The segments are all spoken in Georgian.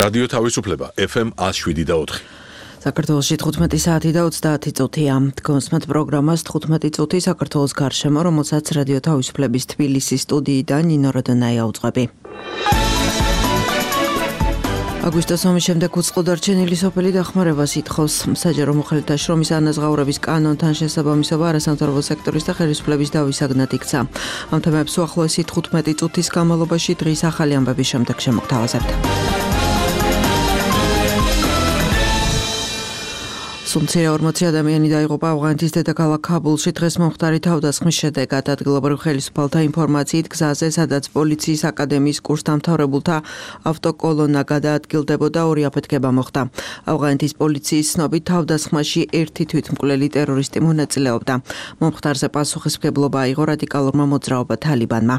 რადიო თავისუფლება FM 107.4. საქართველოში 15 საათი და 30 წუთია. დგომსმთ პროგრამას 15 წუთი საქართველოს გარშემო, რომელსაც რადიო თავისუფლების თბილისის სტუდიიდან ნინო როდონაია უძღვები. აგვისტოს ომის შემდეგ უწყლო დარჩენილი სოფელი დახმარებას ითხოვს. საჯარო მოხელეთა შრომის ანაზღაურების კანონთან შესაბამისობა არასამთავრობო სექტორის და ხელისუფლების დავისაგნად იქცა. ამ თემებს უახლოესი 15 წუთის განმავლობაში დღის ახალი ამბების შემდეგ შემოგთავაზებთ. სულ 40 ადამიანი დაიღუპა ავღანეთის დედაქალაქ ქაბულში დღეს მომხდარი თავდასხმის შედეგად. ადგილობრივ ხელისუფალთა ინფორმაციით გზაზე, სადაც პოლიციის აკადემიის კურსდამთავრებულთა ავტოკოლონა გადაადგილდებოდა, ორი აფეთქება მოხდა. ავღანეთის პოლიციის ცნობით თავდასხმაში ერთი თვითმკვლელი ტერორისტი მონაწილეობდა. მომხდარზე პასუხისმგებლობა აიღო რადიკალურმა მოძრაობა თალიბანმა.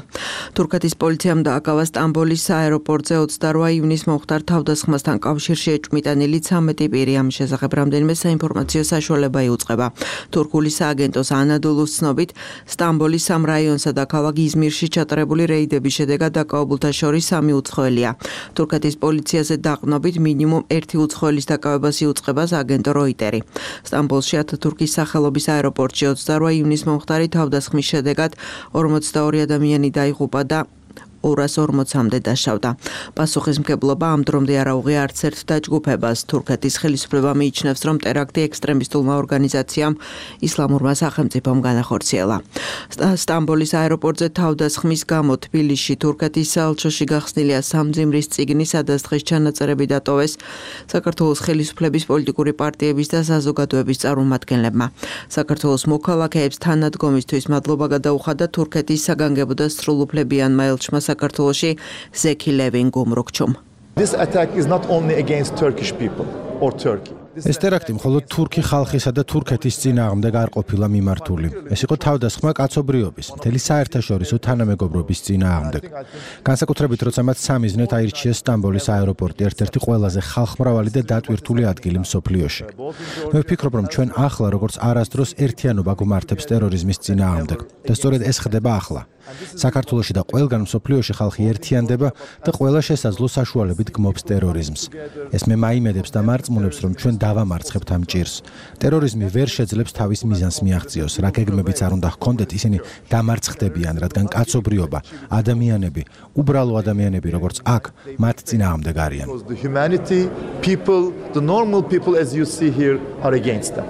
თურქეთის პოლიციამ დააკავა სტამბოლის აეროპორტზე 28 ივნისს მომხდარ თავდასხმასთან კავშირში ეჭვმიტანილი 13 პირი. ამის შესახებ რამდენიმე ინფორმაციო საშუალება იუწყება. თურქული სააგენტოს ანადოლუს ცნობით, სტამბოლის 3 რაიონსა და ქალაქ იზმირში ჩატარებული რეიდების შედეგად დაკავებულთა შორის 3 უცხოელია. თურქეთის პოლიციაზე დაყრდნობით მინიმუმ 1 უცხოელის დაკავებას იუწყება აგენტო როიტერი. სტამბოლში ათათურქის სახელობის აეროპორტში 28 ივნისს მომხდარი თავდასხმის შედეგად 42 ადამიანი დაიღუპა და 240-მდე დაშავდა. პასუხისმგებლობა ამ დრომდე არ აუღია არც ერთ დაჯგუფებას. თურქეთის ხელისუფლება მიიჩნევს, რომ ტერაქტი ექსტრემისტულმა ორგანიზაციამ ისლამურმა სახელმწიფომ განახორციელა. სტამბოლის აეროპორტზე თავდასხმის გამო თბილისში თურქეთის საელჩოში გახსნილია სამძიმრის წიგნი, სადაც დღეს ჩანაწერები დატოვეს საქართველოს ხელისუფლების პოლიტიკური პარტიების და საზოგადოების წარმომადგენლებმა. საქართველოს მოქალაქეებს თანადგომისთვის მადლობა გადაუხადა თურქეთის საგანგებო და სრულუფლებიანმა ელჩმა საქართველოში ზექი ლევინ გუმრუქჩუმ. This attack is not only against Turkish people or Turkey. ეს ტერაქტი მხოლოდ თურქი ხალხისა და თურქეთის წინააღმდეგ არ ყოფილა მიმართული. ეს იყო თავდასხმა კაცობრიობის, მთელი საერთაშორისო თანამეგობრობის წინააღმდეგ. განსაკუთრებით, როცა მათ სამიზნედ აირჩიეს სტამბოლის აეროპორტი, ერთ-ერთი ყველაზე ხალხმრავალი და დატვირთული ადგილი მსოფლიოში. მე ვფიქრობ, რომ ჩვენ ახლა როგორც არასდროს ერთიანობა გვმართებს ტერორიზმის წინააღმდეგ და სწორედ ეს ხდება ახლა. საქართველოში და ყველგან მსოფლიოში ხალხი ერთიანდება და ყველა შესაძლო საშუალებით გმობს ტერორიზმს. ეს მე მაიმედებს და მარწმუნებს, რომ ჩვენ დავამარცხებთ ამ ჭირს. ტერორიზმი ვერ შეძლებს თავის მიზანს მიაღწიოს, რა გეგმებიც არ უნდა ჰქონდეთ, ისინი დამარცხდებიან, რადგან კაცობრიობა, ადამიანები, უბრალო ადამიანები, როგორც აქ, მათ წინააღმდეგ არიან. The humanity, people, the normal people as you see here are against them.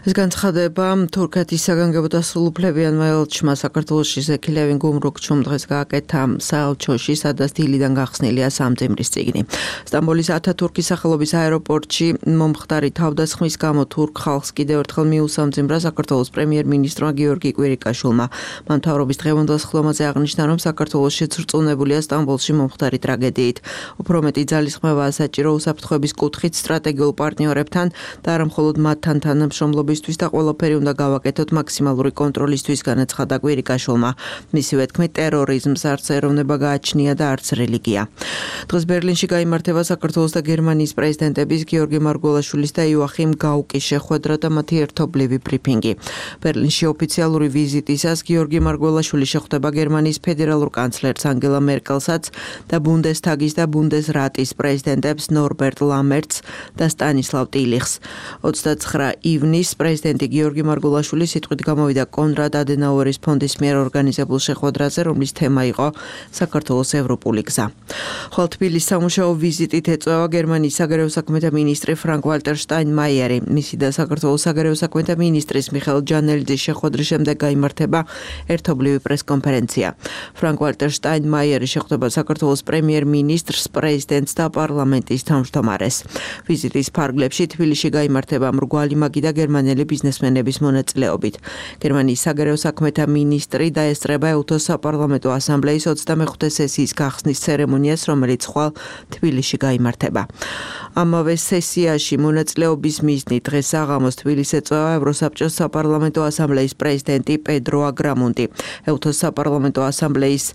ეს განცხადება თურქეთის საგანგებო და სრულუფლებიანმა ელჩმა საქართველოში ზექი ლევინ გუმრუქჩუმ დღეს გააკეთა საელჩოში, სადაც დილიდან გახსნილია სამძიმრის წიგნი. სტამბოლის ათათურქის სახელობის აეროპორტში მომხდარი თავდასხმის გამო თურქ ხალხს კიდევ ერთხელ მიუსამძიმრა საქართველოს პრემიერ-მინისტრმა გიორგი კვირიკაშვილმა. მან მთავრობის დღევანდელ სხდომაზე აღნიშნა, რომ საქართველოს შეცრწუნებულია სტამბოლში მომხდარი ტრაგედიით. უფრო მეტი ძალისხმევაა საჭირო უსაფრთხოების კუთხით სტრატეგიულ პარტნიორებთან და არა მხოლოდ მათთან თანამშრომლობის და ყველაფერი უნდა გავაკეთოთ მაქსიმალური კონტროლისთვის, განაცხადა კვირიკაშვილმა. მისივე თქმით, ტერორიზმს არც ეროვნება გააჩნია და არც რელიგია. დღეს ბერლინში გაიმართება საქართველოს და გერმანიის პრეზიდენტების გიორგი მარგველაშვილის და იოახიმ გაუკის შეხვედრა და მათი ერთობლივი ბრიფინგი. ბერლინში ოფიციალური ვიზიტისას გიორგი მარგველაშვილი შეხვდება გერმანიის ფედერალურ კანცლერს ანგელა მერკელსაც და ბუნდესტაგის და ბუნდესრატის პრეზიდენტებს ნორბერტ ლამერტს და სტანისლავ ტილიხს. 29 ივნისს პრეზიდენტი გიორგი მარგველაშვილი სიტყვით გამოვიდა კონრად ადენაუერის ფონდის მიერ ორგანიზებულ შეხვედრაზე, რომლის თემა იყო საქართველოს ევროპული გზა. ხოლო თბილისის სამუშაო ვიზიტით ეწვევა გერმანიის საგარეო საქმეთა მინისტრი ფრანკ-ვალტერ შტაინმაიერი. მისი და საქართველოს საგარეო საქმეთა მინისტრის მიხეილ ჯანელიძის შეხვედრის შემდეგ გაიმართება ერთობლივი პრესკონფერენცია. ფრანკ-ვალტერ შტაინმაიერი შეხვდება საქართველოს პრემიერ-მინისტრს, პრეზიდენტს და პარლამენტის თავმჯდომარეს. ვიზიტის ფარგლებში თბილისში გაიმართება მრგვალი მაგი და გერმანელი ბიზნესმენების მონაწილეობით. გერმანიის საგარეო საქმეთა მინისტრი დაესწრება ეუთოს საპარლამენტო ასამბლეის 25 სესიის გახსნის ცერემონიას, რომელიც ხვალ თბილისში გაიმართება. ამავე სესიაში მონაწილეობის მიზნით დღეს საღამოს თბილისს ეწვევა ევროსაბჭოს საპარლამენტო ასამბლეის პრეზიდენტი პედრო აგრამუნტი. ეუთოს საპარლამენტო ასამბლეის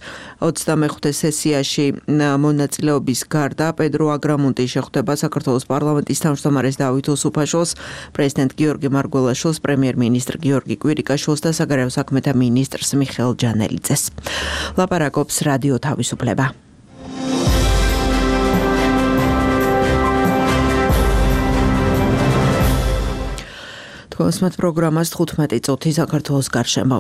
25 სესიაში მონაწილეობის გარდა პედრო აგრამუნტი შეხვდება საქართველოს პარლამენტის თავმჯდომარეს დავით უსუფაშვილს, პრეზიდენტ გიორგი მარგველაშვილს, პრემიერ-მინისტრ გიორგი კვირიკაშვილს და საგარეო საქმეთა მინისტრს მიხეილ ჯანელიძეს. ლაპარაკობს რადიო თავისუფლება. თქოსმეთ პროგრამას 15 წუთი საქართველოს გარშემო.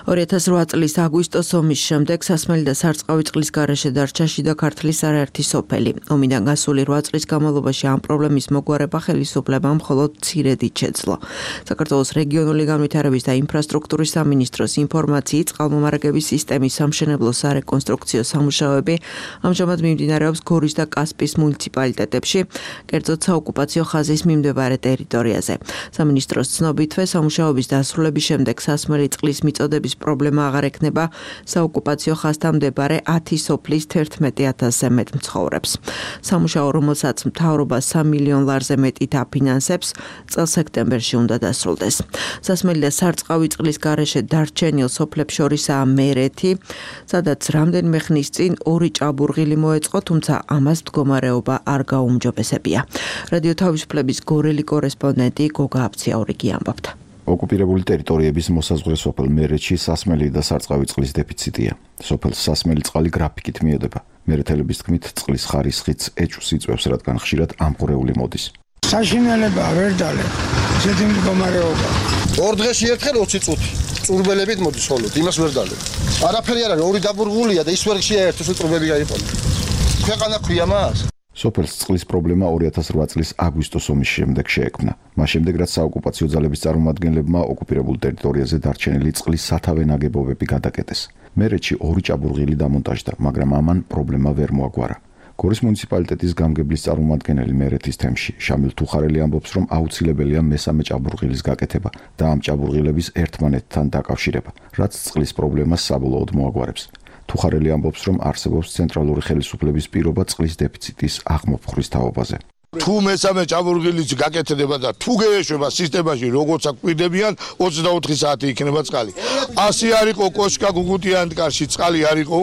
2008 წლის აგვისტოს ომის შემდეგ სასმელი და სარწყავი წყლის გარეშე დარჩა შიდა ქართლის არაერთი სოფელი. ომიდან გასული 8 წლის განმავლობაში ამ პრობლემის მოგვარება ხელისუფლებამ მხოლოდ მცირედით შეძლო. საქართველოს რეგიონული განვითარების და ინფრასტრუქტურის სამინისტროს ინფორმაციით წყალმომარაგების სისტემის სამშენებლო სარეკონსტრუქციო სამუშაოები ამჟამად მიმდინარეობს გორის და კასპიის მუნიციპალიტეტებში, კერძოდ საოკუპაციო ხაზის მიმდებარე ტერიტორიაზე. სამინისტროს ცნობითვე სამუშაოების დასრულების შემდეგ სასმელი წყლის მიწოდების პრობლემა აღარ ექნება საოკუპაციო ხაზთან მდებარე 10 სოფლის 11,000-ზე მეტ მცხოვრებს. სამუშაო, რომელსაც მთავრობა 3 მილიონ ლარზე მეტით აფინანსებს, წელს სექტემბერში უნდა დასრულდეს. სასმელი და სარწყავი წყლის გარეშე დარჩენილ სოფლებს შორისაა მერეთი, სადაც რამდენიმე ხნის წინ 2 ჭაბურღილი მოეწყო, თუმცა ამას მდგომარეობა არ გაუმჯობესებია. რადიო თავისუფლების გორელი კორესპონდენტი გოგა აბციაურიგი ამბობდა. ოკუპირებული ტერიტორიების მოსაზღვრე სოფელ მერეთში სასმელი და სარწყავი წყლის დეფიციტია. სოფელს სასმელი წყალი გრაფიკით მიედება. მერეთელების თქმით, წყლის ხარისხიც ეჭვს იწვევს, რადგან ხშირად ამყურეული მოდის. საშინელება ვერ დალებ. ისეთი მდგომარეობა. 2 დღეში ერთხელ 20 წუთი. წურბელებით მოდის ხოლოდ, იმას ვერ დალებ. არაფერი არ არის, 2 დაბურღულია და ის ვერ შეერთოს, წურბელი გაიყოლა. ქვეყანა ქვია მას. სოფელს წყლის პრობლემა 2008 წლის აგვისტოს ომის შემდეგ შეექმნა. მას შემდეგ, რაც საოკუპაციო ძალების წარმომადგენლებმა ოკუპირებულ ტერიტორიაზე დარჩენილი წყლის სათავე ნაგებობები გადაკეტეს. მერეთში 2 ჭაბურღილი დამონტაჟდა, მაგრამ ამან პრობლემა ვერ მოაგვარა. გორის მუნიციპალიტეტის გამგებლის წარმომადგენელი მერეთის თემში შამილ თუხარელი ამბობს, რომ აუცილებელია მესამე ჭაბურღილის გაკეთება და ამ ჭაბურღილების ერთმანეთთან დაკავშირება, რაც წყლის პრობლემას საბოლოოდ მოაგვარებს. თუხარელი ამბობს, რომ არსებობს ცენტრალური ხელისუფლების პირობა წყლის დეფიციტის აღმოფხრის თაობაზე. თუ მესამე ჭაბურღილიც გაკეთდება და თუ გეეშვება სისტემაში, როგორც აკვირდებიან, 24 საათი იქნება წყალი. 100 არ იყო კოშკა გუგუტიანტკარში წყალი არ იყო,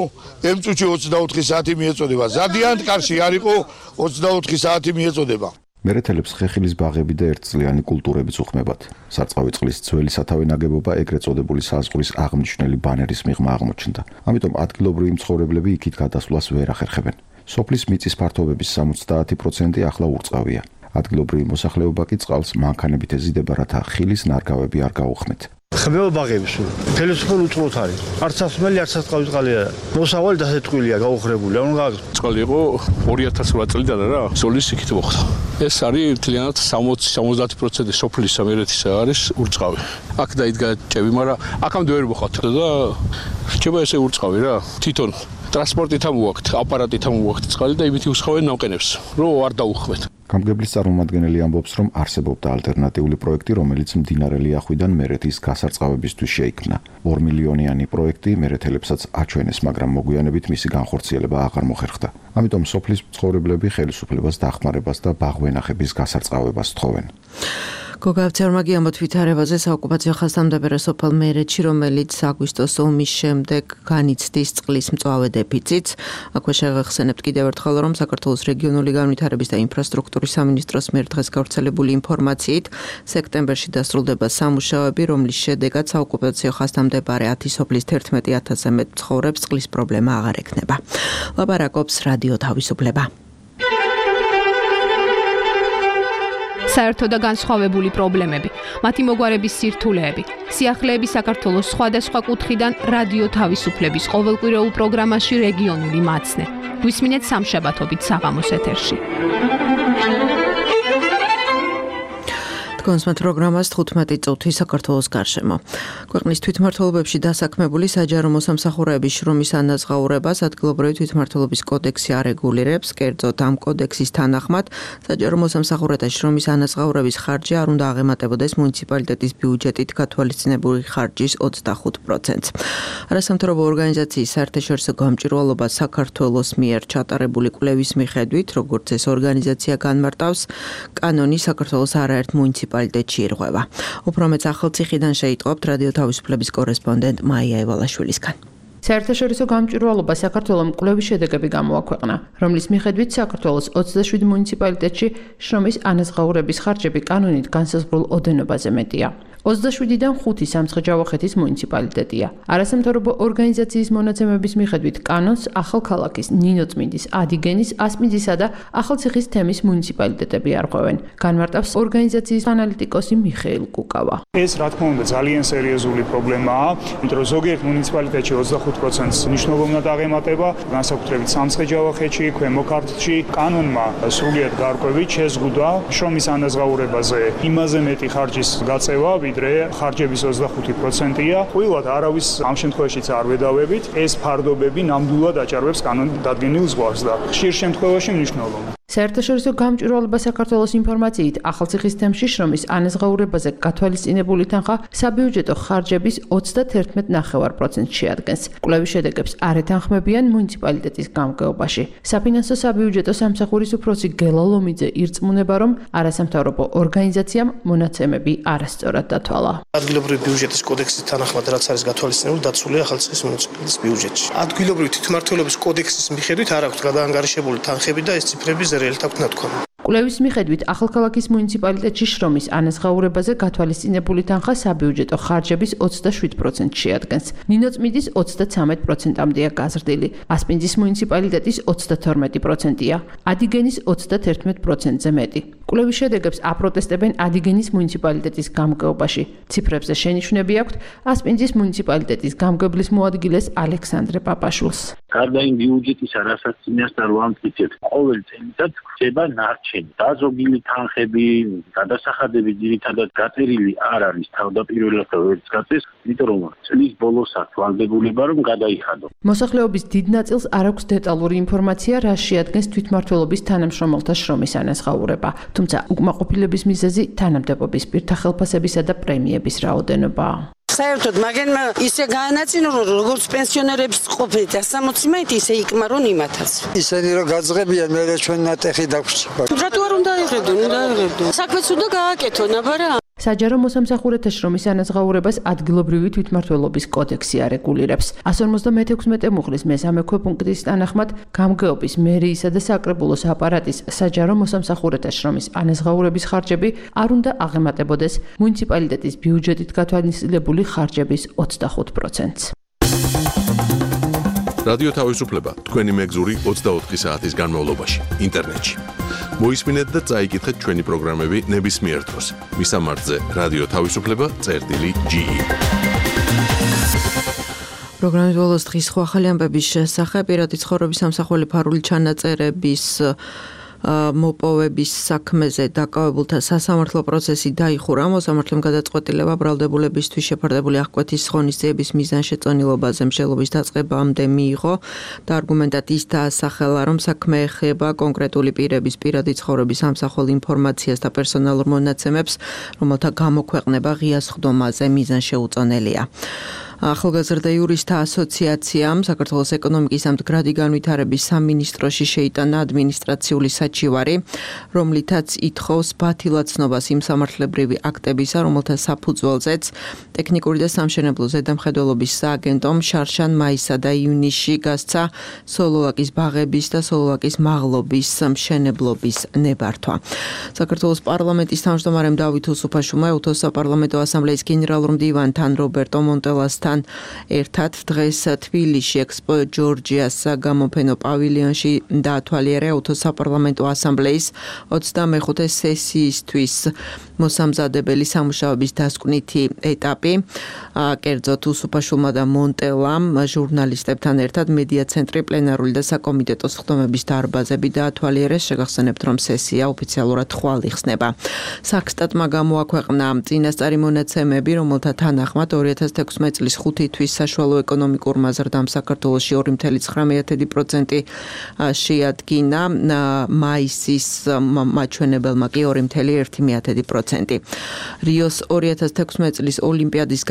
ემწუჩი 24 საათი მიეწოდება. ზადიანტკარში არ იყო, 24 საათი მიეწოდება. მერეთელებს ხეხილის ბაღები და ერთწლიანი კულტურებიც უხმებათ. სარწყავი წყლის ძველი სათავე ნაგებობა ეგრეთ წოდებული საზღვრის აღმნიშვნელი ბანერის მიღმა აღმოჩნდა. ამიტომ ადგილობრივი მცხოვრებლები იქით გადასვლას ვერ ახერხებენ. სოფლის მიწის ფართობების 70% ახლა ურწყავია. ადგილობრივი მოსახლეობა კი წყალს მანქანებით ეზიდება, რათა ხილის ნარგავები არ გაუხმეთ. ხმევა ბაღები სულ. ხელისუფლება უწყლოდ არის. არც სასმელი, არც სარწყავი წყალი არა. მოსავალი დასეთქვილია, გაუხრებული. ანუ წყალი იყო 2008 წლიდან რა, ზოლის იქით მოხდა. ეს არის მთლიანად 60-70% სოფლის მერეთისა არის ურწყავი. აქ დაიდგა ჭები, მაგრამ აქამდე ვერ მოხდა და რჩება ესე ურწყავი რა. თვითონ ტრანსპორტით ამოვაქვთ, აპარატით ამოვაქვთ წყალი და იმით უსხავენ ნამყენებს, რომ არ დაუხმეთ. გამგებლის წარმომადგენელი ამბობს, რომ არსებობდა ალტერნატიული პროექტი, რომელიც მდინარე ლიახვიდან მერეთის გასარწყავებისთვის შეიქმნა. 2 მილიონიანი პროექტი მერეთელებსაც აჩვენეს, მაგრამ მოგვიანებით მისი განხორციელება აღარ მოხერხდა. ამიტომ სოფლის მცხოვრებლები ხელისუფლებას დახმარებას და ბაღვენახების გასარწყავებას თხოვენ. გოგა აბციაურიგი ამბობს ვითარებაზე საოკუპაციო ხაზთან მდებარე სოფელ მერეთში, რომელიც აგვისტოს ომის შემდეგ განიცდის წყლის მწვავე დეფიციტს. აქვე შევეხსენებთ კიდევ ერთხელ, რომ საქართველოს რეგიონული განვითარების და ინფრასტრუქტურის სამინისტროს მიერ დღეს გავრცელებული ინფორმაციით, სექტემბერში დასრულდება სამუშაოები, რომლის შედეგად საოკუპაციო ხაზთან მდებარე 10 სოფლის 11,000-ზე მეტ მცხოვრებს წყლის პრობლემა აღარ ექნება. ლაპარაკობს რადიო თავისუფლება. საერთო და განსხვავებული პრობლემები, მათი მოგვარების სირთულეები, სიახლეები საქართველოს სხვადასხვა კუთხიდან რადიო თავისუფლების ყოველკვირეულ პროგრამაში რეგიონული მაცნე. გვისმინეთ სამშაბათობით საღამოს ეთერში. თქოსმეთ პროგრამას 15 წუთი საქართველოს გარშემო. ქვეყნის თვითმმართველობებში დასაქმებული საჯარო მოსამსახურეების შრომის ანაზღაურებას ადგილობრივი თვითმმართველობის კოდექსი არეგულირებს, კერძოდ ამ კოდექსის თანახმად საჯარო მოსამსახურეთა შრომის ანაზღაურების ხარჯი არ უნდა აღემატებოდეს მუნიციპალიტეტის ბიუჯეტით გათვალისწინებული ხარჯის 25%-ს. არასამთავრობო ორგანიზაციის საერთაშორისო გამჭვირვალობა საქართველოს მიერ ჩატარებული კვლევის მიხედვით, როგორც ეს ორგანიზაცია განმარტავს, კანონი საქართველოს არაერთ მუნიციპალიტეტში ირღვევა. უფრო მეტ ახალციხიდან შეიტყობთ რადიო თავისუფლების კორესპონდენტ მაია ევალაშვილისგან. საერთაშორისო გამჭვირვალობა საქართველოს კვლევის შედეგები გამოაქვეყნა, რომლის მიხედვით საქართველოს 27 მუნიციპალიტეტში შრომის ანაზღაურების ხარჯები კანონით განსაზღვრულ ოდენობაზე მეტია. 27-დან 5 სამცხე-ჯავახეთის მუნიციპალიტეტია. არასამთავრობო ორგანიზაციის მონაცემების მიხედვით კანონს ახალქალაქის, ნინოწმინდის, ადიგენის, ასპინძისა და ახალციხის თემის მუნიციპალიტეტები არღვევენ. განმარტავს ორგანიზაციის ანალიტიკოსი მიხეილ კუკავა. ეს რა თქმა უნდა ძალიან სერიოზული პრობლემაა, იმიტომ რომ ზოგიერთ მუნიციპალიტეტში 25%-ს მნიშვნელოვნად აღემატება, განსაკუთრებით სამცხე-ჯავახეთში, ქვემო ქართლში. კანონმა სრულიად გარკვევით შეზღუდვა შრომის ანაზღაურებაზე იმაზე მეტი ხარჯის გაწევა, ვიდრე ხარჯების 25%-ია. ყოველად არავის ამ შემთხვევაშიც არ ვედავებით, ეს ფარდობები ნამდვილად აჭარბებს კანონით დადგენილ ზღვარს და ხშირ შემთხვევაში მნიშვნელოვნად. საერთაშორისო გამჭვირვალობა საქართველოს ინფორმაციით ახალციხის თემში შრომის ანაზღაურებაზე გათვალისწინებული თანხა საბიუჯეტო ხარჯების 31.9%-ს შეადგენს. კვლევის შედეგებს არ ეთანხმებიან მუნიციპალიტეტის გამგეობაში. საფინანსო საბიუჯეტო სამსახურის უფროსი გელა ლომიძე ირწმუნება, რომ არასამთავრობო ორგანიზაციამ მონაცემები არასწორად დათვალა. ადგილობრივი ბიუჯეტის კოდექსის თანახმად, რაც არის გათვალისწინებული, დაცულია ახალციხის მუნიციპალიტეტის ბიუჯეტში. ადგილობრივი თვითმმართველობის კოდექსის მიხედვით არ აქვს გადაანგარიშებული თანხები და ეს ციფრები კვლევის მიხედვით ახალქალაქის მუნიციპალიტეტში შრომის ანაზღაურებაზე გათვალისწინებული თანხა საბიუჯეტო ხარჯების 27%-ს შეადგენს. ნინოწმინდის 33%-ამდეა გაზრდილი, ასპინძის მუნიციპალიტეტის 32%-ია, ადიგენის 31%-ზე მეტი. კვლევის შედეგებს აპროტესტებენ ადიგენის მუნიციპალიტეტის გამგეობაში. ციფრებზე შენიშვნები აქვთ ასპინძის მუნიციპალიტეტის გამგებლის მოადგილეს ალექსანდრე პაპაშვილს. გარდა იმ ბიუჯეტისა, რასაც წინასწარ ვამტკიცებთ, ყოველ წელიწად ხდება ნარჩენი. დაზოგილი თანხები, გადასახადები ძირითადად გაწერილი არ არის თავდაპირველად ვერც გაწეს, იმიტომ რომ წლის ბოლოსაც ვალდებულება რომ გადაიხადო. მოსახლეობის დიდ ნაწილს არ აქვს დეტალური ინფორმაცია, რა შეადგენს თვითმმართველობის თანამშრომელთა შრომის ანაზღაურება. თუმცა უკმაყოფილების მიზეზი თანამდებობის პირთა ხელფასებისა და პრემიების რაოდენობაა. საერთოდ მაგენმა ისე გაანაწილო, რომ როგორც პენსიონერებს ყოფილით 160 ისე იკმარონ იმათაც. ისინი რომ გაძღებიან, მე ჩვენ ნატეხი დაგვჭირდება. რატო არ უნდა იღებდონ, საქმეც უნდა გააკეთონ, აბარა. საჯარო მოსამსახურეთა შრომის ანაზღაურებას ადგილობრივი თვითმმართველობის კოდექსი არეგულირებს. 156 მუხლის მესამე ქვეპუნქტის თანახმად გამგეობის, მერიისა და საკრებულოს აპარატის საჯარო მოსამსახურეთა შრომის ანაზღაურების ხარჯები არ უნდა აღემატებოდეს მუნიციპალიტეტის ბიუჯეტით გათვალისწინებული ხარჯების 25%-ს. რადიო თავისუფლება თქვენი მეგზური 24 საათის განმავლობაში ინტერნეტში. მოისმინეთ და წაიკითხეთ ჩვენი პროგრამები ნებისმიერ დროს. მისამართზე რადიო თავისუფლება.ge. პროგრამის ბოლოს დღის სხვა ახალი ამბების შესახებ პირადი ცხოვრების სამსახური ფარული ჩანაწერების მოპოვების საქმეზე დაკავებულთა სასამართლო პროცესი დაიხურა. მოსამართლემ გადაწყვეტილება ბრალდებულებისთვის შეფარდებული აღკვეთის ღონისძიების მიზანშეწონილობაზე მსჯელობის დაწყებამდე მიიღო და არგუმენტად ის დაასახელა, რომ საქმე ეხება კონკრეტული პირების პირადი ცხოვრების სამსახურ ინფორმაციას და პერსონალურ მონაცემებს, რომელთა გამოქვეყნება ღია სხდომაზე მიზანშეუწონელია. ახალგაზრდა იურისტთა ასოციაციამ საქართველოს ეკონომიკის და მდგრადი განვითარების სამინისტროში შეიტანა ადმინისტრაციული საჩივარი, რომლითაც ითხოვს ბათილაცნობას იმ სამართლებრივი აქტებისა, რომელთა საფუძველზეც ტექნიკური და სამშენებლო ზედამხედველობის სააგენტომ შარშან, მაისსა და ივნისში გასცა სოლოლაკის ბაღების და სოლოლაკის მაღლობის მშენებლობის ნებართვა. საქართველოს პარლამენტის თავმჯდომარემ დავით უსუფაშვილმა უთოს საპარლამენტო ასამბლეის გენერალურ მდივანთან რობერტო მონტელასთან ერთად დღეს თბილისში ექსპო ჯორჯიას გამოფენო პავილიონში დაათვალიერა უთოს საპარლამენტო ასამბლეის 25 სესიისთვის მოსამზადებელი სამუშაოების დასკვნითი ეტაპი. კერძოდ უსუფაშვილმა და მონტელამ ჟურნალისტებთან ერთად მედია ცენტრი პლენარული და საკომიტეტო სხდომების დარბაზები დაათვალიერეს. შეგახსენებთ, რომ სესია ოფიციალურად ხვალ იხსნება. საქსტატმა გამოაქვეყნა წინასწარი მონაცემები, რომელთა თანახმად 2016 წლის 5 თვის საშუალო ეკონომიკურმა ზრდამ საქართველოში 2.9% შეადგინა, მაისის მაჩვენებელმა კი 2.1%. რიოს 2016 წლის ოლიმპიადის